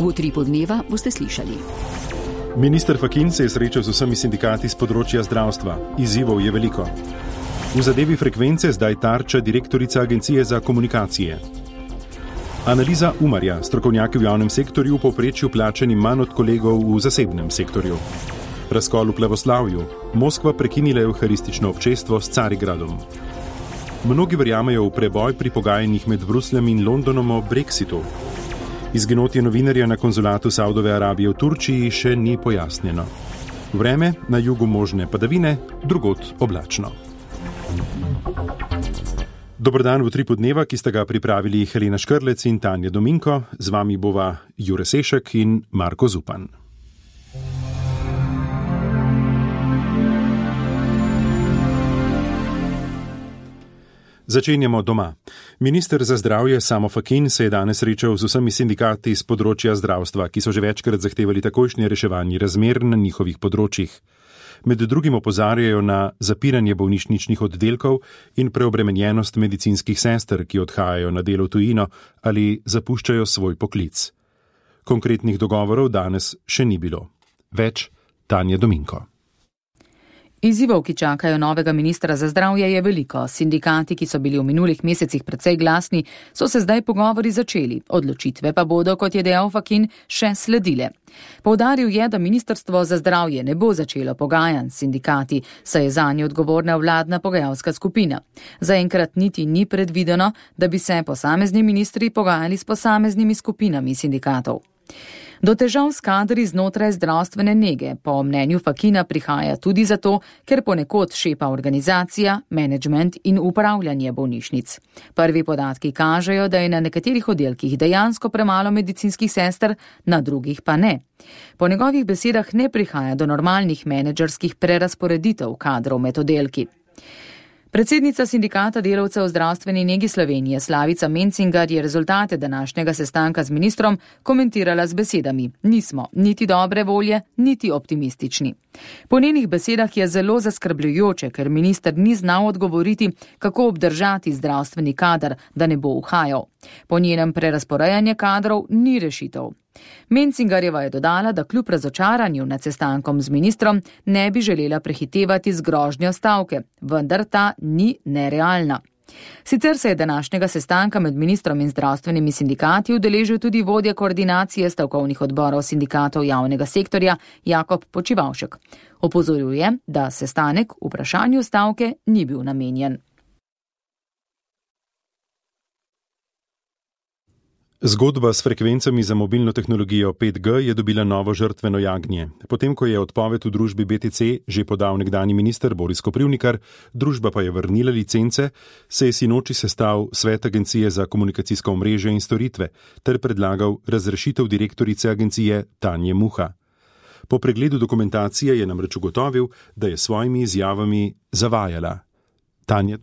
V Utripu dneva boste slišali. Minister Fakin se je srečal z vsemi sindikati z področja zdravstva. Izzivov je veliko. V zadevi frekvence zdaj tarča direktorica Agencije za komunikacije. Analiza Umarja, strokovnjaki v javnem sektorju v povprečju plačani manj od kolegov v zasebnem sektorju. Razkol v plavoslavju. Moskva prekinila evharistično občestvo s Carigradom. Mnogi verjamejo v preboj pri pogajanjih med Brusljem in Londonom o Brexitu. Izginotje novinarja na konzulatu Saudove Arabije v Turčiji še ni pojasnjeno. Vreme, na jugu možne padavine, drugod oblačno. Dober dan v Utripu dneva, ki sta ga pripravili Helena Škrlec in Tanja Dominko. Z vami bova Jure Sešek in Marko Zupan. Začenjamo doma. Minister za zdravje Samo Fakin se je danes srečal z vsemi sindikati z področja zdravstva, ki so že večkrat zahtevali takojšnje reševanje razmer na njihovih področjih. Med drugim opozarjajo na zapiranje bolnišničnih oddelkov in preobremenjenost medicinskih sester, ki odhajajo na delo v tujino ali zapuščajo svoj poklic. Konkretnih dogovorov danes še ni bilo. Več Tanja Dominko. Izzivov, ki čakajo novega ministra za zdravje, je veliko. Sindikati, ki so bili v minulih mesecih precej glasni, so se zdaj pogovori začeli. Odločitve pa bodo, kot je dejal Fakin, še sledile. Poudaril je, da ministrstvo za zdravje ne bo začelo pogajanj s sindikati, saj je zanje odgovorna vladna pogajalska skupina. Zaenkrat niti ni predvideno, da bi se posamezni ministri pogajali s posameznimi skupinami sindikatov. Do težav s kadri znotraj zdravstvene nege po mnenju Fakina prihaja tudi zato, ker ponekod šepa organizacija, menedžment in upravljanje bolnišnic. Prvi podatki kažejo, da je na nekaterih oddelkih dejansko premalo medicinskih sester, na drugih pa ne. Po njegovih besedah ne prihaja do normalnih menedžerskih prerasporeditev kadrov med oddelki. Predsednica sindikata delavcev v zdravstveni negi Slovenije Slavica Mencingar je rezultate današnjega sestanka z ministrom komentirala z besedami: nismo niti dobre volje, niti optimistični. Po njenih besedah je zelo zaskrbljujoče, ker minister ni znal odgovoriti, kako obdržati zdravstveni kader, da ne bo uhajal. Po njenem prerasporejanje kadrov ni rešitev. Mencingarjeva je dodala, da kljub razočaranju nad sestankom z ministrom ne bi želela prehitevati z grožnjo stavke, vendar ta ni nerealna. Sicer se je današnjega sestanka med ministrom in zdravstvenimi sindikati udeležil tudi vodja koordinacije stavkovnih odborov sindikatov javnega sektorja Jakob Počivavšek. Opozoril je, da sestanek vprašanju stavke ni bil namenjen. Zgodba s frekvencami za mobilno tehnologijo 5G je dobila novo žrtveno jagnje. Potem, ko je odpoved v družbi BTC že podal nekdanji minister Boris Koprivnikar, družba pa je vrnila licence, se je sinoči sestal svet Agencije za komunikacijsko omrežje in storitve ter predlagal razrešitev direktorice agencije Tanje Muha. Po pregledu dokumentacije je namreč ugotovil, da je svojimi izjavami zavajala. Tanja.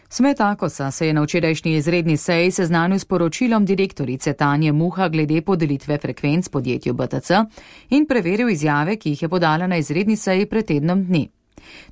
Svet Akosa se je na včerajšnji izredni seji seznanil s poročilom direktorice Tanje Muha glede podelitve frekvenc podjetju BTC in preveril izjave, ki jih je podala na izredni seji pred tednom dni.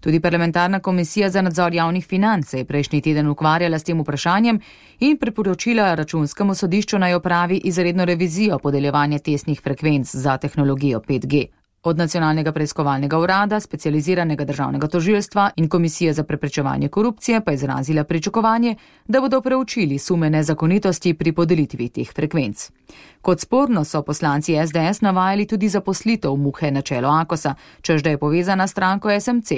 Tudi parlamentarna komisija za nadzor javnih financ se je prejšnji teden ukvarjala s tem vprašanjem in priporočila računskemu sodišču naj opravi izredno revizijo podeljevanja testnih frekvenc za tehnologijo 5G. Od Nacionalnega preiskovalnega urada, specializiranega državnega tožilstva in Komisije za preprečevanje korupcije pa je izrazila pričakovanje, da bodo preučili sume nezakonitosti pri podelitvi teh frekvenc. Kot sporno so poslanci SDS navajali tudi zaposlitev Muhe na čelo Akosa, čež da je povezana s stranko SMC.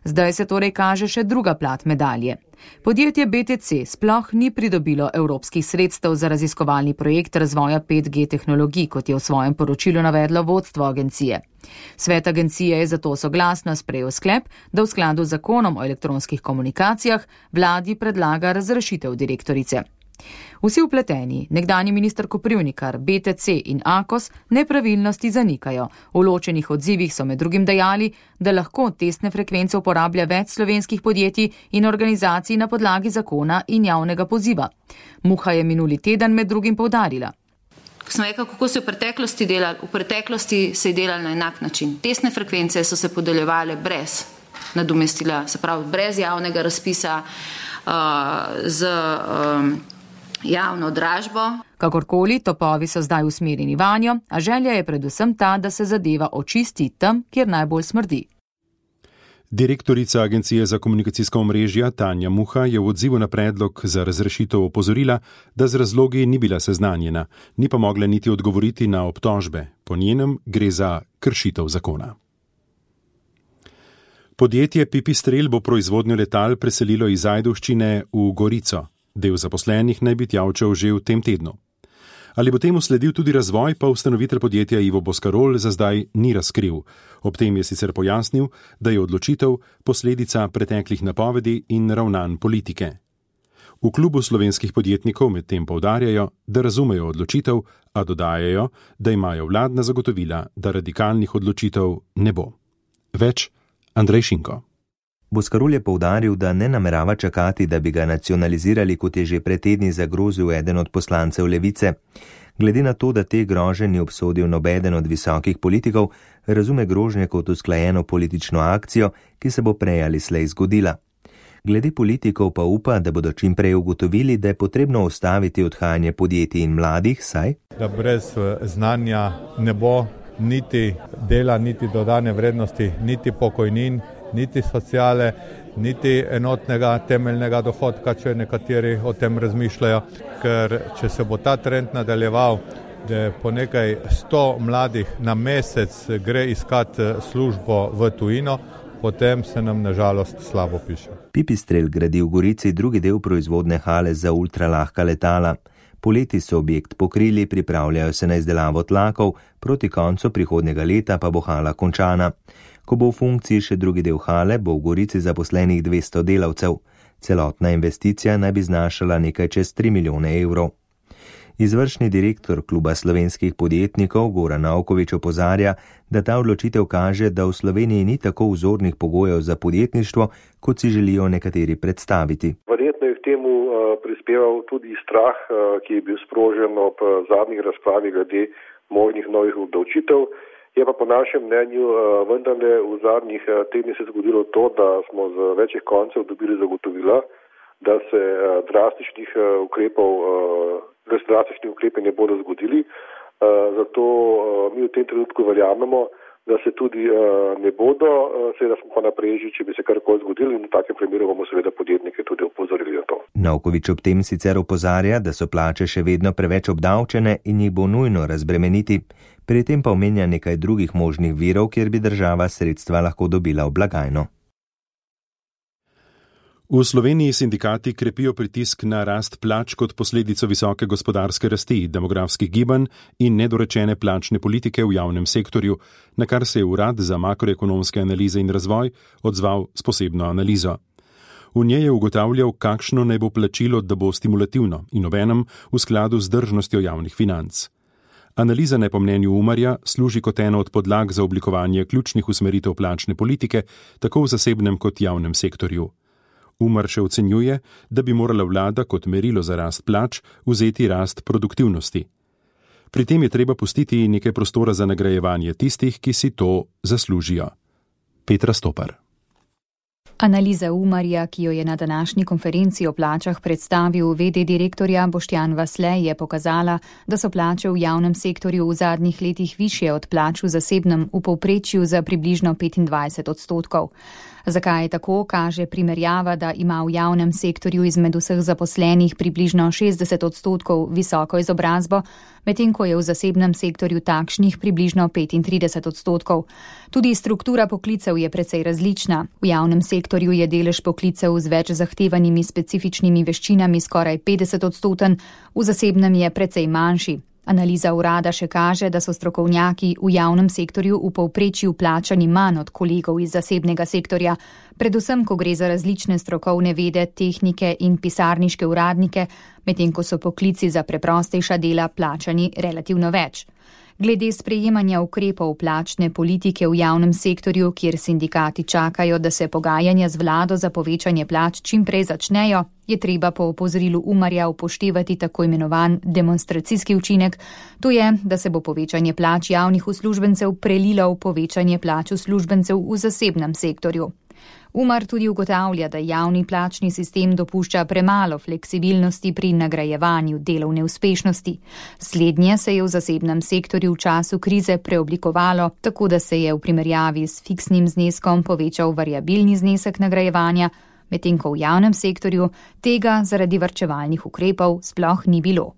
Zdaj se torej kaže še druga plat medalje. Podjetje BTC sploh ni pridobilo evropskih sredstev za raziskovalni projekt razvoja 5G tehnologij, kot je v svojem poročilu navedlo vodstvo agencije. Svet agencije je zato soglasno sprejel sklep, da v skladu z zakonom o elektronskih komunikacijah vladi predlaga razrešitev direktorice. Vsi vpleteni, nekdanji minister Koprivnikar, BTC in Akos, nepravilnosti zanikajo. V ločenih odzivih so med drugim dejali, da lahko testne frekvence uporablja več slovenskih podjetij in organizacij na podlagi zakona in javnega poziva. Muha je minuli teden med drugim poudarila. Ko sem rekel, kako se v preteklosti delali, v preteklosti se je delali na enak način. Testne frekvence so se podeljevale brez nadomestila, se pravi brez javnega razpisa, z javno dražbo. Kakorkoli, topovi so zdaj usmerjeni vanjo, a želja je predvsem ta, da se zadeva očisti tam, kjer najbolj smrdi. Direktorica Agencije za komunikacijska omrežja Tanja Muha je v odzivu na predlog za razrešitev opozorila, da z razlogi ni bila seznanjena, ni pa mogla niti odgovoriti na obtožbe. Po njenem gre za kršitev zakona. Podjetje Pipistrel bo proizvodnjo letal preselilo iz Ajdovščine v Gorico. Del zaposlenih naj bi tja odšel že v tem tednu. Ali bo temu sledil tudi razvoj, pa ustanovitelj podjetja Ivo Boscarol za zdaj ni razkril. Ob tem je sicer pojasnil, da je odločitev posledica preteklih napovedi in ravnanj politike. V klubu slovenskih podjetnikov medtem poudarjajo, da razumejo odločitev, a dodajajo, da imajo vladna zagotovila, da radikalnih odločitev ne bo. Več Andrej Šinko. Boscarol je poudaril, da ne namerava čakati, da bi ga nacionalizirali, kot je že pred tedni zagrozil eden od poslancev Levice. Glede na to, da te grožnje ni obsodil nobeden od visokih politikov, razume grožnje kot usklajeno politično akcijo, ki se bo prej ali slej zgodila. Glede politikov pa upa, da bodo čim prej ugotovili, da je potrebno ustaviti odhajanje podjetij in mladih, saj da brez znanja ne bo niti dela, niti dodane vrednosti, niti pokojnin, niti sociale, niti enotnega temeljnega dohodka, če nekateri o tem razmišljajo, ker če se bo ta trend nadaljeval, da po nekaj 100 mladih na mesec gre iskat službo v tujino, potem se nam nažalost slabo piše. Pipistrel gradi v Gorici drugi del proizvodne hale za ultralahka letala. Poleti so objekt pokrili, pripravljajo se na izdelavo tlakov, proti koncu prihodnjega leta pa bo hala končana. Ko bo v funkciji še drugi del hale, bo v Gorici zaposlenih 200 delavcev. Celotna investicija naj bi znašala nekaj čez 3 milijone evrov. Izvršni direktor kluba slovenskih podjetnikov Goran Naukovič opozarja, da ta odločitev kaže, da v Sloveniji ni tako vzornih pogojev za podjetništvo, kot si želijo nekateri predstaviti. Verjetno je k temu prispeval tudi strah, ki je bil sprožen ob zadnjih razpravi glede možnih novih obdavčitev. Je pa po našem mnenju vendarle v zadnjih tednih se zgodilo to, da smo z večjih koncev dobili zagotovila, da se drastični ukrepi ne bodo zgodili. Zato mi v tem trenutku verjamemo, da se tudi ne bodo, seveda smo pa napreži, če bi se karkoli zgodilo, in v takem primeru bomo seveda podjetnike tudi opozorili na to. Naukovič ob tem sicer opozarja, da so plače še vedno preveč obdavčene in jih bo nujno razbremeniti. Pri tem pa omenja nekaj drugih možnih virov, kjer bi država sredstva lahko dobila v blagajno. V Sloveniji sindikati krepijo pritisk na rast plač kot posledico visoke gospodarske rasti, demografskih gibanj in nedorečene plačne politike v javnem sektorju, na kar se je Urad za makroekonomske analize in razvoj odzval s posebno analizo. V njej je ugotavljal, kakšno naj bo plačilo, da bo stimulativno in obenem v skladu z vzdržnostjo javnih financ. Analiza naj po mnenju Umarja služi kot eno od podlag za oblikovanje ključnih usmeritev plačne politike, tako v zasebnem kot javnem sektorju. Umar še ocenjuje, da bi morala vlada kot merilo za rast plač vzeti rast produktivnosti. Pri tem je treba pustiti nekaj prostora za nagrajevanje tistih, ki si to zaslužijo. Petra Stopar. Analiza Umarja, ki jo je na današnji konferenci o plačah predstavil v.d. direktorja Boštjan Vasle, je pokazala, da so plače v javnem sektorju v zadnjih letih višje od plač v zasebnem, v povprečju za približno 25%. Zakaj je tako, kaže primerjava, da ima v javnem sektorju izmed vseh zaposlenih približno 60% visoko izobrazbo, medtem ko je v zasebnem sektorju takšnih približno 35%. Tudi struktura poklicev je precej različna. V javnem sektorju je delež poklicev z več zahtevanimi specifičnimi veščinami skoraj 50%, v zasebnem je precej manjši. Analiza urada še kaže, da so strokovnjaki v javnem sektorju v povprečju plačani manj od kolegov iz zasebnega sektorja, predvsem ko gre za različne strokovne vede, tehnike in pisarniške uradnike, medtem ko so poklici za preprostejša dela plačani relativno več. Glede sprejemanja ukrepov plačne politike v javnem sektorju, kjer sindikati čakajo, da se pogajanja z vlado za povečanje plač čim prej začnejo, je treba po opozorilu Umarja upoštevati tako imenovan demonstracijski učinek, to je, da se bo povečanje plač javnih uslužbencev prelilo v povečanje plač uslužbencev v zasebnem sektorju. Umar tudi ugotavlja, da javni plačni sistem dopušča premalo fleksibilnosti pri nagrajevanju delovne uspešnosti. Slednje se je v zasebnem sektorju v času krize preoblikovalo, tako da se je v primerjavi s fiksnim zneskom povečal variabilni znesek nagrajevanja, medtem ko v javnem sektorju tega zaradi varčevalnih ukrepov sploh ni bilo.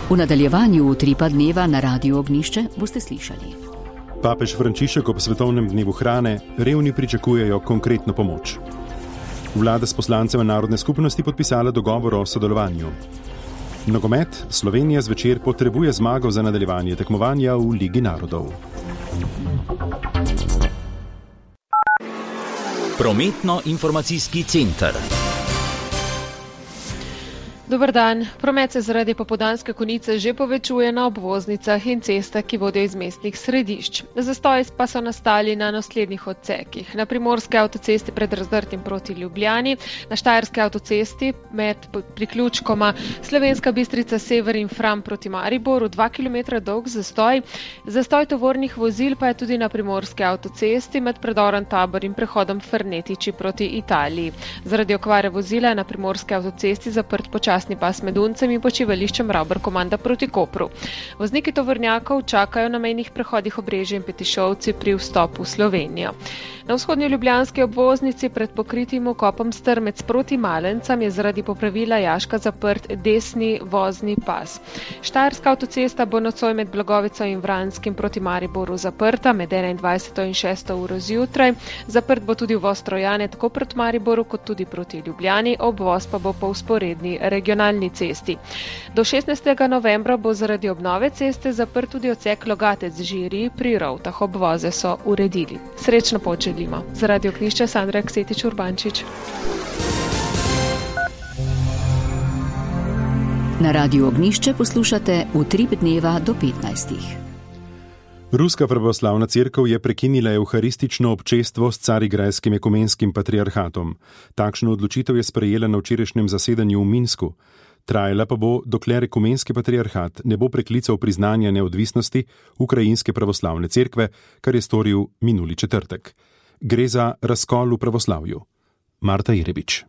V nadaljevanju Utripa dneva na Radiu Ognjišče boste slišali. Papež Frančišek ob svetovnem dnevu hrane, revni pričakujejo konkretno pomoč. Vlada s poslancem narodne skupnosti podpisala dogovor o sodelovanju. Nogomet, Slovenija zvečer potrebuje zmago za nadaljevanje tekmovanja v Ligi narodov. Prometno-informacijski center. Dober dan. Promet se zaradi popoldanske konice že povečuje na obvoznicah in cestah, ki vodijo iz mestnih središč. Zastoji pa so nastali na naslednjih odsekih. Na primorske avtocesti pred Razdrtim proti Ljubljani, na štajerske avtocesti med priključkoma Slovenska Bistrica Sever in Fram proti Mariboru 2 km dolg zastoj. Zastoj tovornih vozil pa je tudi na primorske avtocesti med predorom Tabor in prehodom Fernetiči proti Italiji. Zaradi okvare vozila je na primorske avtocesti zaprt počasni pas med Uncem in počivališčem Ravbar Komanda proti Kopru. Vozniki tovornjakov čakajo na mejnih prehodih Obrežje in Petišovci pri vstopu v Slovenijo. Na vzhodnji ljubljanski obvoznici pred pokritim vkopom Strmec proti Malencam je zaradi popravila jaška zaprt desni vozni pas. Štajerska avtocesta bo nocoj med Blagovico in Vranskim proti Mariboru zaprta med 21. in 6. uro zjutraj. Zaprt bo tudi uvoz Trojane tako proti Mariboru kot tudi proti Ljubljani, obvoz pa bo po vzporedni regionalni cesti. Do 16. novembra bo zaradi obnove ceste zaprt tudi odsek Logatec-Žiri pri Rovtah. Obvoze so uredili. Srečno pot želimo. Za Radio Ognjišče Sandra Ksetič Urbančič. Na Radiu Ognjišče poslušate Utrip dneva do 15. Ruska pravoslavna cerkev je prekinila evharistično občestvo s Carigrajskim ekumenskim patriarhatom. Takšno odločitev je sprejela na včerajšnjem zasedanju v Minsku. Trajala pa bo, dokler ekumenski patriarhat ne bo preklical priznanja neodvisnosti ukrajinske pravoslavne cerkve, kar je storil minuli četrtek. Gre za razkol v pravoslavju. Marta Irebič.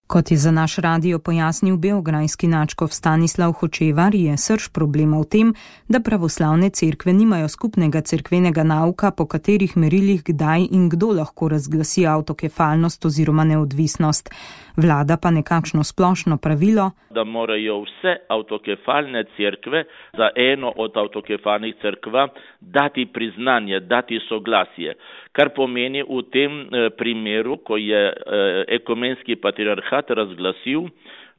Kot je za naš radio pojasnil beograjski nadškof Stanislav Hočevar, je srž problema v tem, da pravoslavne cerkve nimajo skupnega cerkvenega nauka, po katerih merilih kdaj in kdo lahko razglasi avtokefalnost oziroma neodvisnost. Vlada pa nekakšno splošno pravilo, da morajo vse avtokefalne cerkve za eno od avtokefalnih cerkva dati priznanje, dati soglasje. Kar pomeni v tem primeru, ko je ekumenski patriarhat razglasil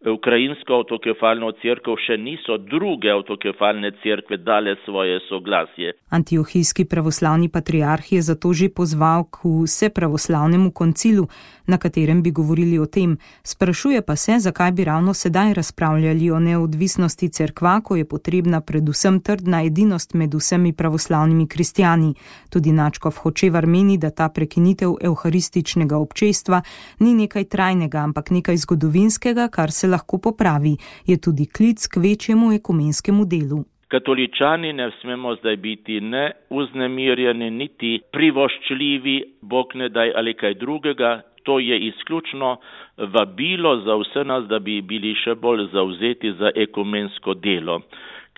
ukrajinsko avtokefalno cerkev, še niso druge avtokefalne cerkve dale svoje soglasje. Antiohijski pravoslavni patriarh je zato že pozval k vsepravoslavnemu koncilu, na katerem bi govorili o tem. Sprašuje pa se, zakaj bi ravno sedaj razpravljali o neodvisnosti cerkva, ko je potrebna predvsem trdna edinost med vsemi pravoslavnimi kristjani. Tudi nadškof Hočevar meni, da ta prekinitev evharističnega občestva ni nekaj trajnega, ampak nekaj zgodovinskega, kar se lahko popravi. Je tudi klic k večjemu ekumenskemu delu. Katoličani ne smemo zdaj biti ne vznemirjeni, niti privoščljivi, Bog ne daj ali kaj drugega. To je izključno vabilo za vse nas, da bi bili še bolj zavzeti za ekumensko delo.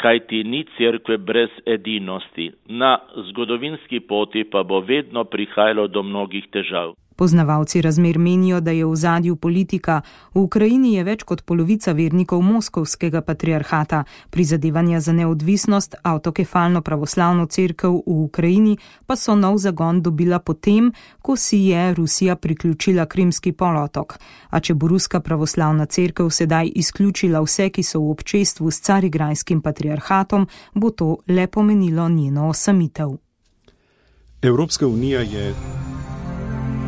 Kajti ni cerkve brez edinosti. Na zgodovinski poti pa bo vedno prihajalo do mnogih težav. Poznavalci razmer menijo, da je v ozadju politika. V Ukrajini je več kot polovica vernikov moskovskega patriarhata. Prizadevanja za neodvisnost, avtokefalno pravoslavno cerkev v Ukrajini pa so nov zagon dobila potem, ko si je Rusija priključila Krimski polotok. A če bo ruska pravoslavna cerkev sedaj izključila vse, ki so v občestvu s Carigrajskim patriarhatom, bo to le pomenilo njeno osamitev. Evropska unija je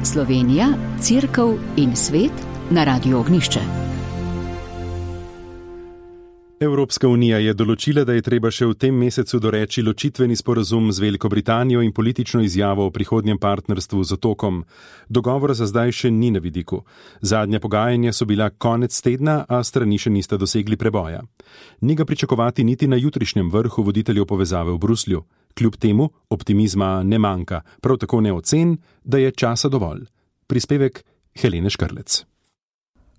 Slovenija, cerkev in svet na Radiu Ognjišče. Evropska unija je določila, da je treba še v tem mesecu doreči ločitveni sporazum z Veliko Britanijo in politično izjavo o prihodnjem partnerstvu z otokom. Dogovora za zdaj še ni na vidiku. Zadnja pogajanja so bila konec tedna, a strani še nista dosegli preboja. Ni ga pričakovati niti na jutrišnjem vrhu voditeljev povezave v Bruslju. Kljub temu optimizma ne manjka, prav tako ne ocen, da je časa dovolj. Prispevek Helene Škrlec.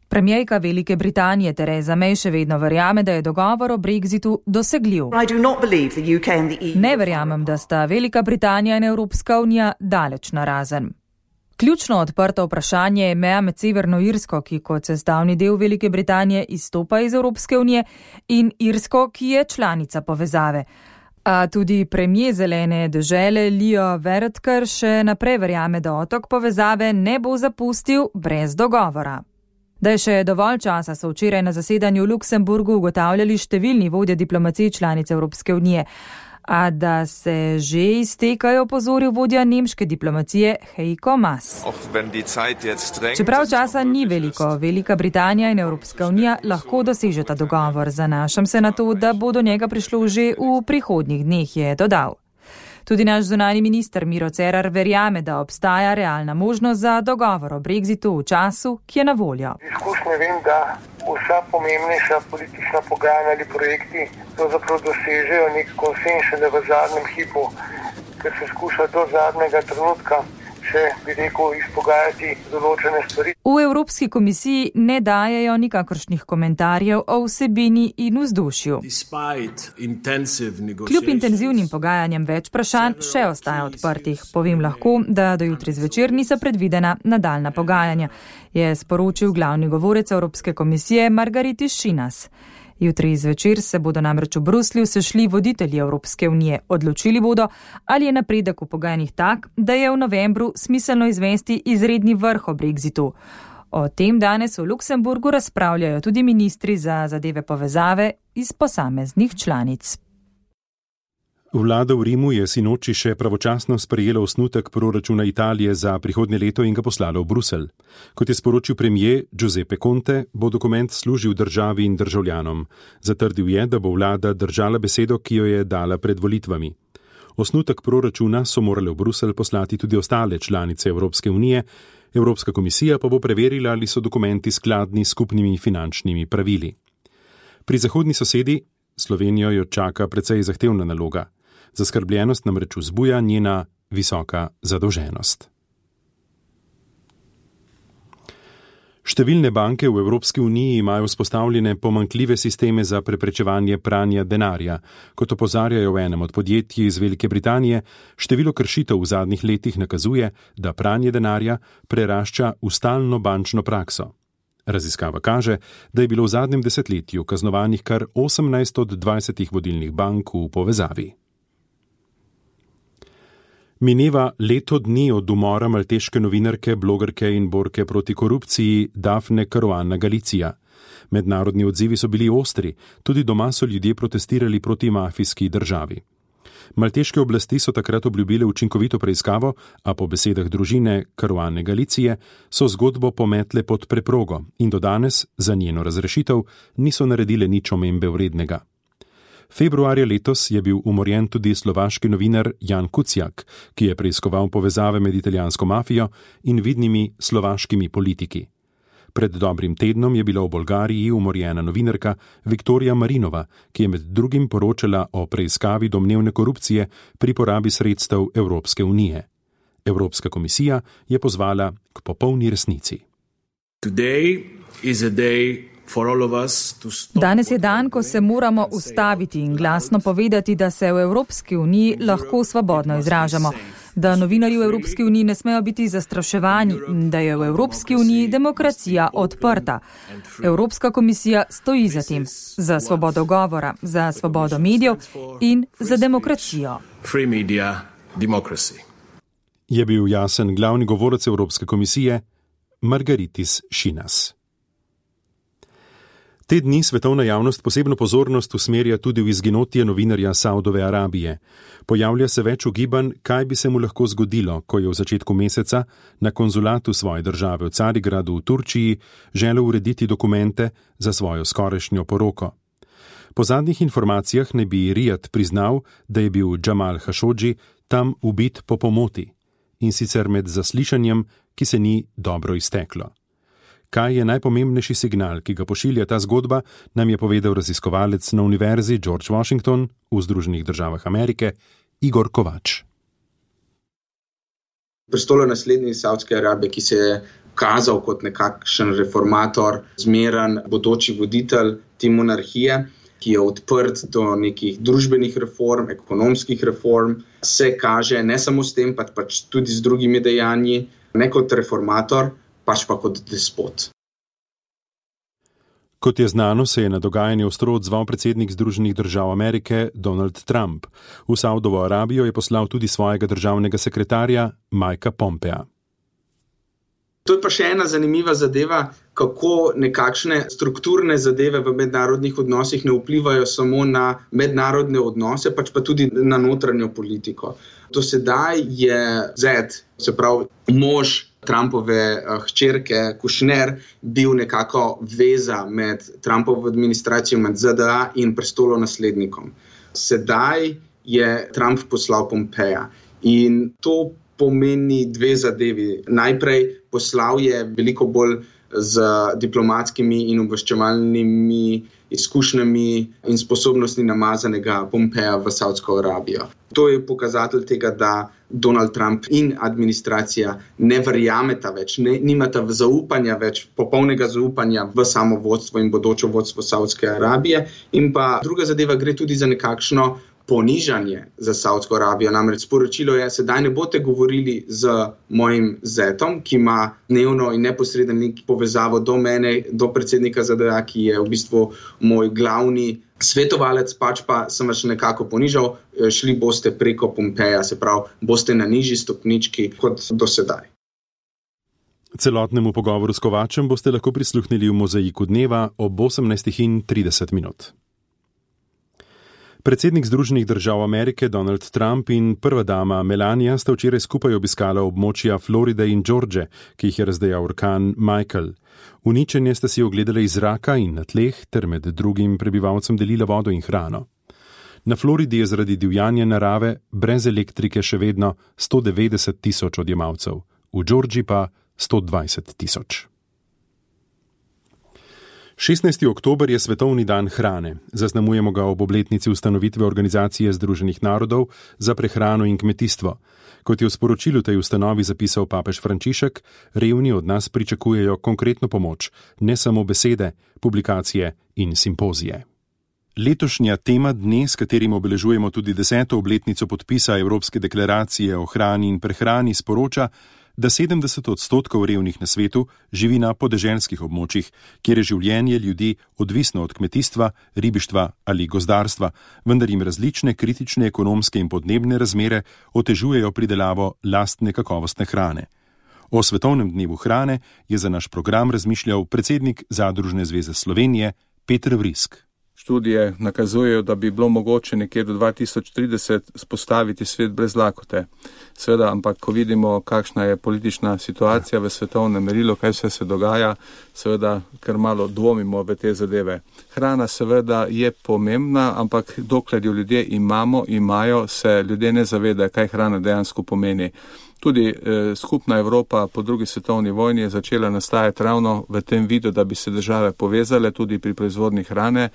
Premijerka Velike Britanije Theresa May še vedno verjame, da je dogovor o Brexitu dosegljiv. Ne verjamem, da sta Velika Britanija in Evropska unija daleč narazen. Ključno odprto vprašanje je meja med Severno Irsko, ki kot sestavni del Velike Britanije izstopa iz Evropske unije, in Irsko, ki je članica povezave. A tudi premier zelene dežele Leo Varadkar še naprej verjame, da otok povezave ne bo zapustil brez dogovora. Da je še dovolj časa, so včeraj na zasedanju v Luksemburgu ugotavljali številni vodje diplomacije članic Evropske unije. A da se že iztekajo, opozoril vodja nemške diplomacije Heiko Maas. Čeprav časa ni veliko, Velika Britanija in Evropska unija lahko dosežeta dogovor. Zanašam se na to, da bo do njega prišlo že v prihodnjih dneh, je dodal. Tudi naš zunanji minister Miro Cerar verjame, da obstaja realna možnost za dogovor o Brexitu v času, ki je na voljo. Izkušnje vem, da vsa pomembnejša politična pogajanja ali projekti pravzaprav dosežejo nek konsenz šele v zadnjem hipu, ker se skuša do zadnjega trenutka še, bi rekel, izpogajati določene stvari. V Evropski komisiji ne dajejo nikakršnih komentarjev o vsebini in vzdušju. Kljub intenzivnim pogajanjem več vprašanj še ostaja odprtih. Povem lahko, da do jutri zvečer niso predvidena nadaljna pogajanja, je sporočil glavni govorec Evropske komisije Margaritis Schinas. Jutri zvečer se bodo namreč v Bruslju sešli voditelji Evropske unije. Odločili bodo, ali je napredek v pogajanjih tak, da je v novembru smiselno izvesti izredni vrh o Brexitu. O tem danes v Luksemburgu razpravljajo tudi ministri za zadeve povezave iz posameznih članic. Vlada v Rimu je sinoči še pravočasno sprejela osnutek proračuna Italije za prihodnje leto in ga poslala v Bruselj. Kot je sporočil premier Giuseppe Conte, bo dokument služil državi in državljanom. Zatrdil je, da bo vlada držala besedo, ki jo je dala pred volitvami. Osnutek proračuna so morale v Bruselj poslati tudi ostale članice Evropske unije, Evropska komisija pa bo preverila, ali so dokumenti skladni s skupnimi finančnimi pravili. Pri zahodni sosedi Slovenijo jo čaka precej zahtevna naloga. Zaskrbljenost namreč vzbuja njena visoka zadolženost. Številne banke v Evropski uniji imajo vzpostavljene pomanjkljive sisteme za preprečevanje pranja denarja. Kot opozarjajo v enem od podjetij iz Velike Britanije, število kršitev v zadnjih letih nakazuje, da pranje denarja prerašča v stalno bančno prakso. Raziskava kaže, da je bilo v zadnjem desetletju kaznovanih kar 18 od 20 vodilnih bank v povezavi. Mineva leto dni od umora malteške novinarke, blogerke in borke proti korupciji Daphne Caruana Galizia. Mednarodni odzivi so bili ostri, tudi doma so ljudje protestirali proti mafijski državi. Malteške oblasti so takrat obljubile učinkovito preiskavo, a po besedah družine Caruane Galicije so zgodbo pometle pod preprogo in do danes za njeno razrešitev niso naredile nič omembe vrednega. Februarja letos je bil umorjen tudi slovaški novinar Jan Kuciak, ki je preiskoval povezave med italijansko mafijo in vidnimi slovaškimi politiki. Pred dobrim tednom je bila v Bolgariji umorjena novinarka Viktorija Marinova, ki je med drugim poročala o preiskavi domnevne korupcije pri porabi sredstev Evropske unije. Evropska komisija je pozvala k popolni resnici. Danes je dan, ko se moramo ustaviti in glasno povedati, da se v Evropski uniji lahko svobodno izražamo, da novinarji v Evropski uniji ne smejo biti zastraševani in da je v Evropski uniji demokracija odprta. Evropska komisija stoji za tem, za svobodo govora, za svobodo medijev in za demokracijo. Je bil jasen glavni govorec Evropske komisije Margaritis Schinas. Te dni svetovna javnost posebno pozornost usmerja tudi v izginotje novinarja Saudove Arabije. Pojavlja se več ugibanj, kaj bi se mu lahko zgodilo, ko je v začetku meseca na konzulatu svoje države v Carigradu v Turčiji želel urediti dokumente za svojo skorajšnjo poroko. Po zadnjih informacijah naj bi Rijad priznal, da je bil Džamal Hašodži tam ubit po pomoti, in sicer med zaslišanjem, ki se ni dobro izteklo. Kaj je najpomembnejši signal, ki ga pošilja ta zgodba, nam je povedal raziskovalec na Univerzi George Washington v Združenih državah Amerike Igor Kovač. Prestolonaslednik Savdske Arabije, ki se je kazal kot nekakšen reformator, zmeren bodoči voditelj te monarhije, ki je odprt do nekih družbenih reform, ekonomskih reform, se kaže ne samo s tem, pač tudi z drugimi dejanji, ne kot reformator, pač pa kot despot. Kot je znano, se je na dogajanje ostro odzval predsednik Združenih držav Amerike Donald Trump. V Saudovo Arabijo je poslal tudi svojega državnega sekretarja Mikea Pompea. To je pa še ena zanimiva zadeva, kako nekakšne strukturne zadeve v mednarodnih odnosih ne vplivajo samo na mednarodne odnose, pač pa tudi na notranjo politiko. Do sedaj je zet, se pravi mož Trumpove hčerke Kushner, bil nekako veza med Trumpovo administracijo, med ZDA in prestolonaslednikom. Sedaj je Trump poslal Pompeja in to pomeni dve zadevi. Najprej poslal je veliko bolj z diplomatskimi in obveščevalnimi izkušnjami in sposobnostmi namazanega Pompeja v Savdsko Arabijo. To je pokazatelj tega, da Donald Trump in administracija ne verjameta več, nimata zaupanja več, popolnega zaupanja v samo vodstvo in bodoče vodstvo Savdske Arabije. In pa druga zadeva, gre tudi za nekakšno ponižanje za Savdsko Arabijo. Namreč sporočilo je, sedaj ne boste govorili z mojim zetom, ki ima dnevno in neposreden povezavo do mene, do predsednika ZDA, ki je v bistvu moj glavni svetovalec, pač pa sem vas nekako ponižal, šli boste preko Pompeja, se pravi, boste na nižji stopnički kot do sedaj. Celotnemu pogovoru s Kovačem boste lahko prisluhnili v Mozaiku dneva ob 18:30. Predsednik Združenih držav Amerike Donald Trump in prva dama Melania sta včeraj skupaj obiskala območja Floride in George, ki jih je razdejal orkan Michael. Uničenje sta si ogledali iz zraka in na tleh ter med drugim prebivalcem delila vodo in hrano. Na Floridi je zaradi divjanja narave brez elektrike še vedno 190,000 odjemalcev, v Georgiji pa 120,000. 16. oktober je Svetovni dan hrane. Zaznamujemo ga ob obletnici ustanovitve Organizacije Združenih narodov za prehrano in kmetijstvo. Kot je v sporočilu tej ustanovi zapisal papež Frančišek, revni od nas pričakujejo konkretno pomoč, ne samo besede, publikacije in simpozije. Letošnja tema dne, s katerim obeležujemo tudi 10. obletnico podpisa Evropske deklaracije o hrani in prehrani, sporoča, da 70% revnih na svetu živi na podeželskih območjih, kjer je življenje ljudi odvisno od kmetijstva, ribištva ali gozdarstva, vendar jim različne kritične ekonomske in podnebne razmere otežujejo pridelavo lastne kakovostne hrane. O Svetovnem dnevu hrane je za naš program razmišljal predsednik Zadružne zveze Slovenije Peter Vrisk. Študije nakazujejo, da bi bilo mogoče nekje do 2030 spostaviti svet brez lakote. Seveda, ampak ko vidimo, kakšna je politična situacija v svetovnem merilu, kaj vse se dogaja, seveda, ker malo dvomimo v te zadeve. Hrana seveda je pomembna, ampak dokler jo ljudje imajo, se ljudje ne zavedajo, kaj hrana dejansko pomeni. Tudi skupna Evropa po drugi svetovni vojni je začela nastajati ravno v tem vidu, da bi se države povezale tudi pri proizvodnji hrane.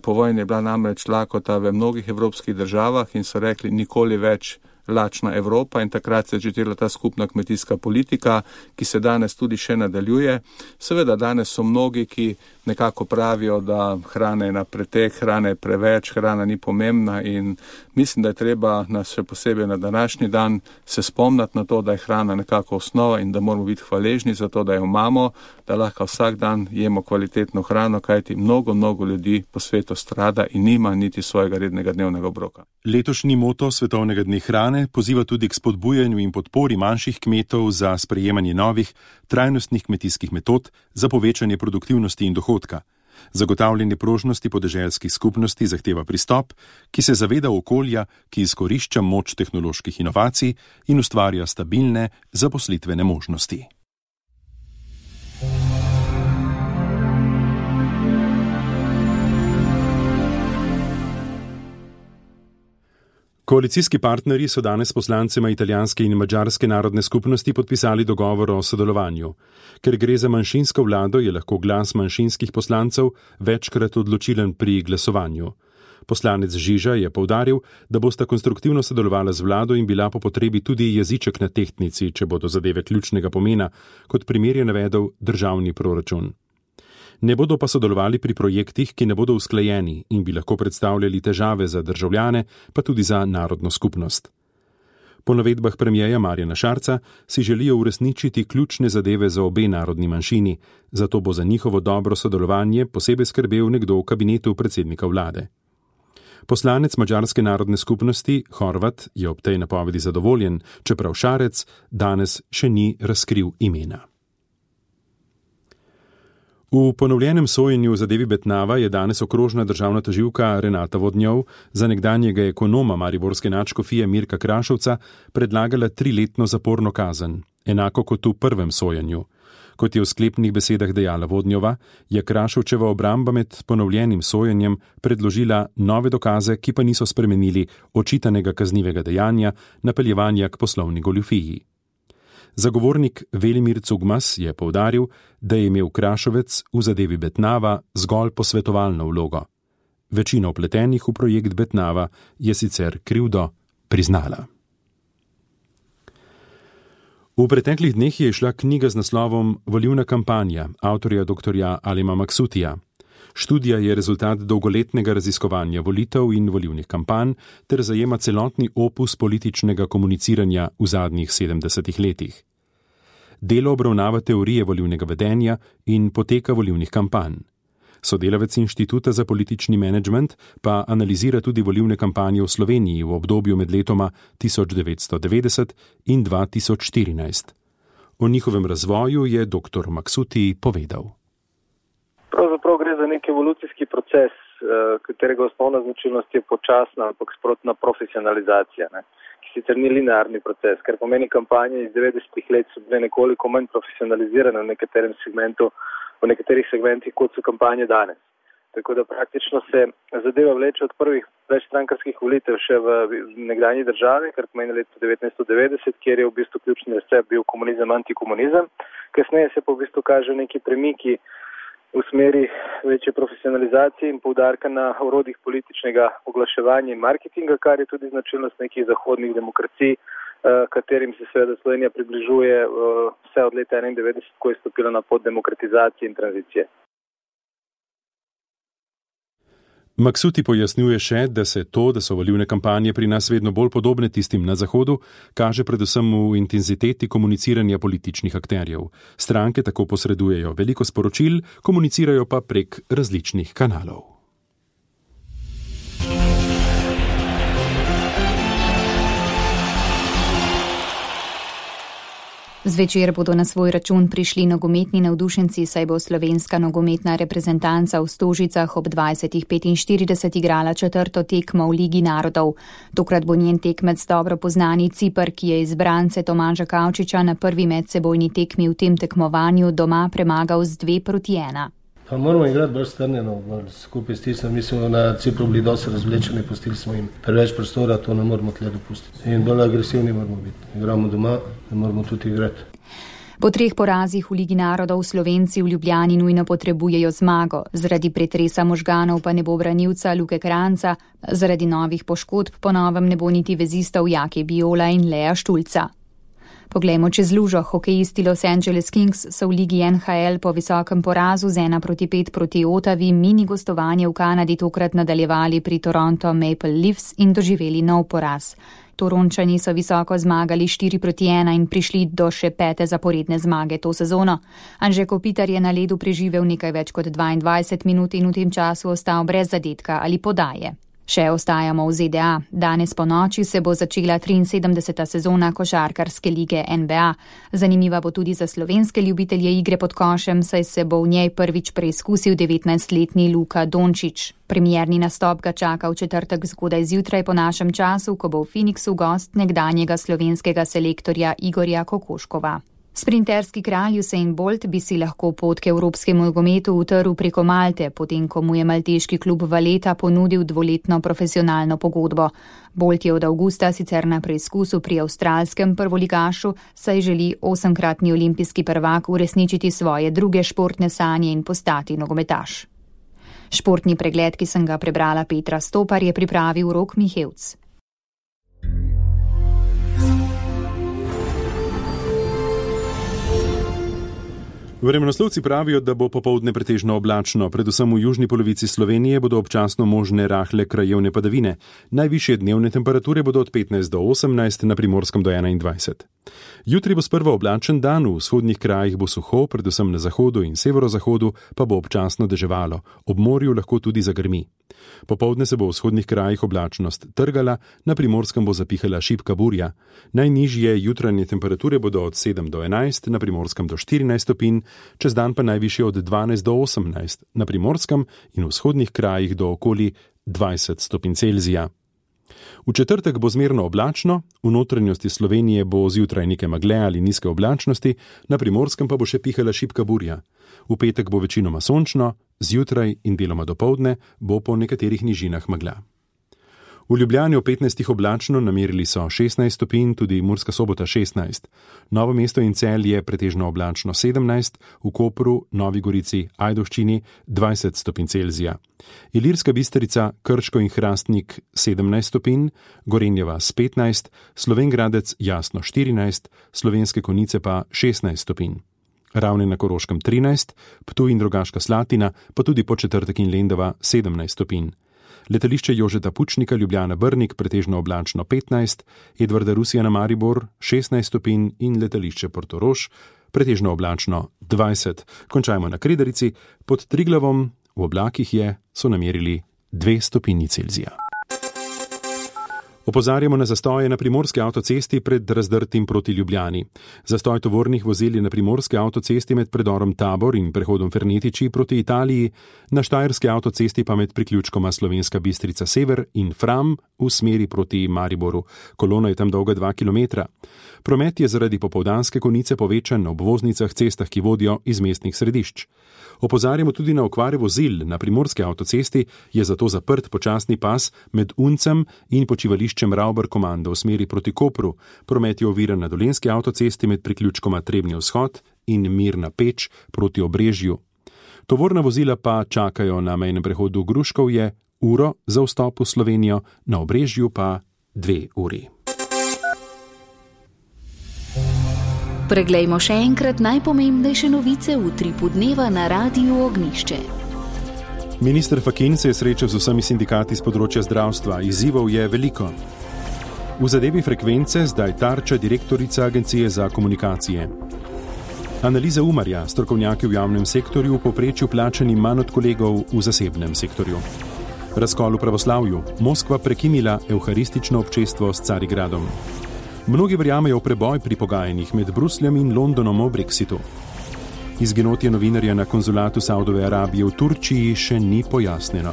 Po vojni je bila namreč lakota v mnogih evropskih državah in so rekli nikoli več lačna Evropa in takrat se je začela ta skupna kmetijska politika, ki se danes tudi še nadaljuje. Seveda danes so mnogi, ki nekako pravijo, da hrana je na pretek, hrana je preveč, hrana ni pomembna in mislim, da je treba nas še posebej na današnji dan se spomniti na to, da je hrana nekako osnova in da moramo biti hvaležni za to, da jo imamo, da lahko vsak dan jemo kvalitetno hrano, kajti mnogo ljudi po svetu strada in nima niti svojega rednega dnevnega obroka. Letošnji moto Svetovnega dne hrane poziva tudi k spodbujanju in podpori manjših kmetov za sprejemanje novih, trajnostnih kmetijskih metod za povečanje produktivnosti in dohodka. Zagotavljanje prožnosti podeželskih skupnosti zahteva pristop, ki se zaveda okolja, ki izkorišča moč tehnoloških inovacij in ustvarja stabilne zaposlitvene možnosti. Koalicijski partnerji so danes poslancema italijanske in madžarske narodne skupnosti podpisali dogovor o sodelovanju. Ker gre za manjšinsko vlado, je lahko glas manjšinskih poslancev večkrat odločilen pri glasovanju. Poslanec Žiža je poudaril, da bosta konstruktivno sodelovala z vlado in bila po potrebi tudi jeziček na tehtnici, če bodo zadeve ključnega pomena, kot primer je navedel državni proračun. Ne bodo pa sodelovali pri projektih, ki ne bodo usklajeni in bi lahko predstavljali težave za državljane, pa tudi za narodno skupnost. Po navedbah premierja Marjana Šarca si želijo uresničiti ključne zadeve za obe narodni manjšini, zato bo za njihovo dobro sodelovanje posebej skrbel nekdo v kabinetu predsednika vlade. Poslanec Madžarske narodne skupnosti Horvat je ob tej napovedi zadovoljen, čeprav Šarec danes še ni razkril imena. V ponovljenem sojenju v zadevi Betnava je danes okrožna državna tožilka Renata Vodnjov za nekdanjega ekonoma mariborske nadškofije Mirka Krašovca predlagala 3-letno zaporno kazen, enako kot v prvem sojenju. Kot je v sklepnih besedah dejala Vodnjova, je Krašovčeva obramba med ponovljenim sojenjem predložila nove dokaze, ki pa niso spremenili očitanega kaznivega dejanja napeljevanja k poslovni goljufiji. Zagovornik Velimir Cugmas je poudaril, da je imel Krašovec v zadevi Betnava zgolj posvetovalno vlogo. Večina vpletenih v projekt Betnava je sicer krivdo priznala. V preteklih dneh je izšla knjiga z naslovom Volilna kampanja avtorja dr. Alima Maksutija. Študija je rezultat dolgoletnega raziskovanja volitev in volilnih kampanj ter zajema celotni opus političnega komuniciranja v zadnjih 70 letih. Delo obravnava teorije volilnega vedenja in poteka volilnih kampanj. Sodelavec Inštituta za politični menedžment pa analizira tudi volilne kampanje v Sloveniji v obdobju med letoma 1990 in 2014. O njihovem razvoju je dr. Maksuti povedal. Pravzaprav gre za nek evolucijski proces, katerega osnovna značilnost je počasna, ampak sprotna profesionalizacija, ki sicer ni linearni proces, ker pomeni kampanje iz 90-ih let so bile nekoliko manj profesionalizirane v nekaterih segmentih, kot so kampanje danes. Tako da praktično se zadeva vleče od prvih večstrankarskih volitev še v nekdanji državi, kar pomeni leto 1990, kjer je v bistvu ključni recept bil komunizem, antikomunizem. Kasneje se pa v bistvu kaže neki premiki v smeri večje profesionalizacije in poudarka na orodjih političnega oglaševanja in marketinga, kar je tudi značilnost nekih zahodnih demokracij, katerim se seveda Slovenija približuje vse od leta 1991, ko je stopila na pot demokratizacije in tranzicije. Maksuti pojasnjuje še, da so volilne kampanje pri nas vedno bolj podobne tistim na Zahodu, kaže predvsem v intenziteti komuniciranja političnih akterjev. Stranke tako posredujejo veliko sporočil, komunicirajo pa prek različnih kanalov. Zvečer bodo na svoj račun prišli nogometni navdušenci, saj bo slovenska nogometna reprezentanca v Stožicah ob 20:45 igrala 4. tekmo v Ligi narodov. Tokrat bo njen tekmec dobro poznani Ciper, ki je izbrance Tomaža Kavčiča na prvi medsebojni tekmi v tem tekmovanju doma premagal z 2:1. Pa moramo igrati bolj strnjeno, bolj skupaj stisnjeno. Mi smo na Cipru bili dosti razvlečeni, pustili smo jim preveč prostora, to ne moramo tle dopustiti. In bolj agresivni moramo biti. Igramo doma, ne moramo tudi igrati. Po 3 porazih v Ligi narodov Slovenci v Ljubljani nujno potrebujejo zmago. Zaradi pretresa možganov pa ne bo branilca Luke Kranjca, zaradi novih poškodb po novem ne bo niti vezistov Jake Biola in Lea Štulca. Poglejmo čez lužo. Hokejisti Los Angeles Kings so v Ligi NHL po visokem porazu z 1:5 proti Ottawi mini gostovanje v Kanadi tokrat nadaljevali pri Toronto Maple Leafs in doživeli nov poraz. Torončani so visoko zmagali 4:1 in prišli do še 5. zaporedne zmage to sezono. Anže Kopitar je na ledu preživel nekaj več kot 22 minut in v tem času ostal brez zadetka ali podaje. Še ostajamo v ZDA. Danes po noči se bo začela 73. sezona košarkarske lige NBA. Zanimiva bo tudi za slovenske ljubitelje igre pod košem, saj se bo v njej prvič preizkusil 19-letni Luka Dončić. Premierni nastop ga čaka v četrtek zgodaj zjutraj po našem času, ko bo v Phoenixu gost nekdanjega slovenskega selektorja Igorja Kokoškova. Sprinterski kralj Usain Bolt bi si lahko pot k evropskemu nogometu utrl preko Malte, potem ko mu je malteški klub Valletta ponudil 2-letno profesionalno pogodbo. Bolt je od avgusta sicer na preizkusu pri avstralskem prvoligašu, saj želi 8-kratni olimpijski prvak uresničiti svoje druge športne sanje in postati nogometaš. Športni pregled, ki sem ga prebrala Petra Stopar, je pripravil Rok Mihevc. Vremenoslovci pravijo, da bo popoldne pretežno oblačno, predvsem v južni polovici Slovenije bodo občasno možne rahle krajevne padavine. Najvišje dnevne temperature bodo od 15 do 18, na Primorskem do 21. Jutri bo sprva oblačen dan, v vzhodnih krajih bo suho, predvsem na zahodu in severozahodu pa bo občasno deževalo, ob morju lahko tudi zagrmi. Popoldne se bo v vzhodnih krajih oblačnost trgala, na Primorskem bo zapihala šibka burja. Najnižje jutranje temperature bodo od 7 do 11, na Primorskem do 14 stopinj, čez dan pa najvišje od 12 do 18, na Primorskem in v vzhodnih krajih do okoli 20 stopinj Celzija. V četrtek bo zmerno oblačno, v notranjosti Slovenije bo zjutraj nekaj megle ali nizke oblačnosti, na Primorskem pa bo še pihala šibka burja. V petek bo večinoma sončno, zjutraj in deloma dopoldne bo po nekaterih nižinah megla. V Ljubljani ob 15 oblačno, namerili so 16 stopinj, tudi Murska Sobota 16. Novo mesto in Celje pretežno oblačno 17, v Kopru, Novi Gorici, Ajdovščini 20 stopinj Celzija. Ilirska Bistrica, Krško in Hrastnik 17 stopinj, Gorenja vas 15, Slovenj Gradec jasno 14, Slovenske Konjice pa 16 stopinj. Ravne na Koroškem 13, Ptuj in Rogaška Slatina, pa tudi Podčetrtek in Lendava 17 stopinj. Letališče Jožeta Pučnika Ljubljana Brnik pretežno oblačno 15, Edvarda Rusija na Maribor 16 stopinj in letališče Portorož pretežno oblačno 20. Končajmo na Kredarici, pod Triglavom v oblakih so namerili 2 stopinji Celzija. Opozarjamo na zastoje na primorski avtocesti pred Razdrtim proti Ljubljani. Zastoj tovornih vozil je na primorski avtocesti med predorom Tabor in prehodom Fernetiči proti Italiji, na štajerski avtocesti pa med priključkoma Slovenska Bistrica Sever in Fram v smeri proti Mariboru. Kolona je tam dolga 2 km. Promet je zaradi popoldanske konice povečan na obvoznicah, cestah, ki vodijo iz mestnih središč. Opozarjamo tudi na okvare vozil. Na primorski avtocesti je zato zaprt počasni pas med Uncem in počivališčem Ravbar Komando v smeri proti Kopru. Promet je oviran na dolenski avtocesti med priključkoma Trebnji vzhod in Mirna Peč proti Obrežju. Tovorna vozila pa čakajo na mejnem prehodu Gruškovje uro za vstop v Slovenijo, na Obrežju pa 2 uri. Preglejmo še enkrat najpomembnejše novice v utripu dneva na Radiu Ognišče. Minister Fakin se je srečal z vsemi sindikati z področja zdravstva. Izzivov je veliko. V zadevi frekvence zdaj tarča direktorica Agencije za komunikacije. Analiza Umarja, strokovnjaki v javnem sektorju v povprečju plačani manj od kolegov v zasebnem sektorju. Razkol v pravoslavju. Moskva prekinila evharistično občestvo s Carigradom. Mnogi verjamejo v preboj pri pogajanjih med Brusljem in Londonom o Brexitu. Izginotje novinarja na konzulatu Saudove Arabije v Turčiji še ni pojasnjeno.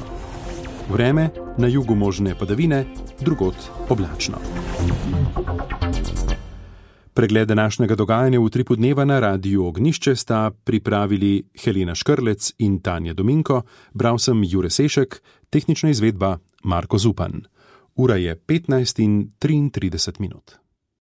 Vreme, na jugu možne padavine, drugod oblačno. Pregled današnjega dogajanja v utripu dneva na Radiu Ognišče sta pripravili Helena Škrlec in Tanja Dominko, bral sem Jure Sešek, tehnična izvedba Marko Zupan. Ura je 15:33.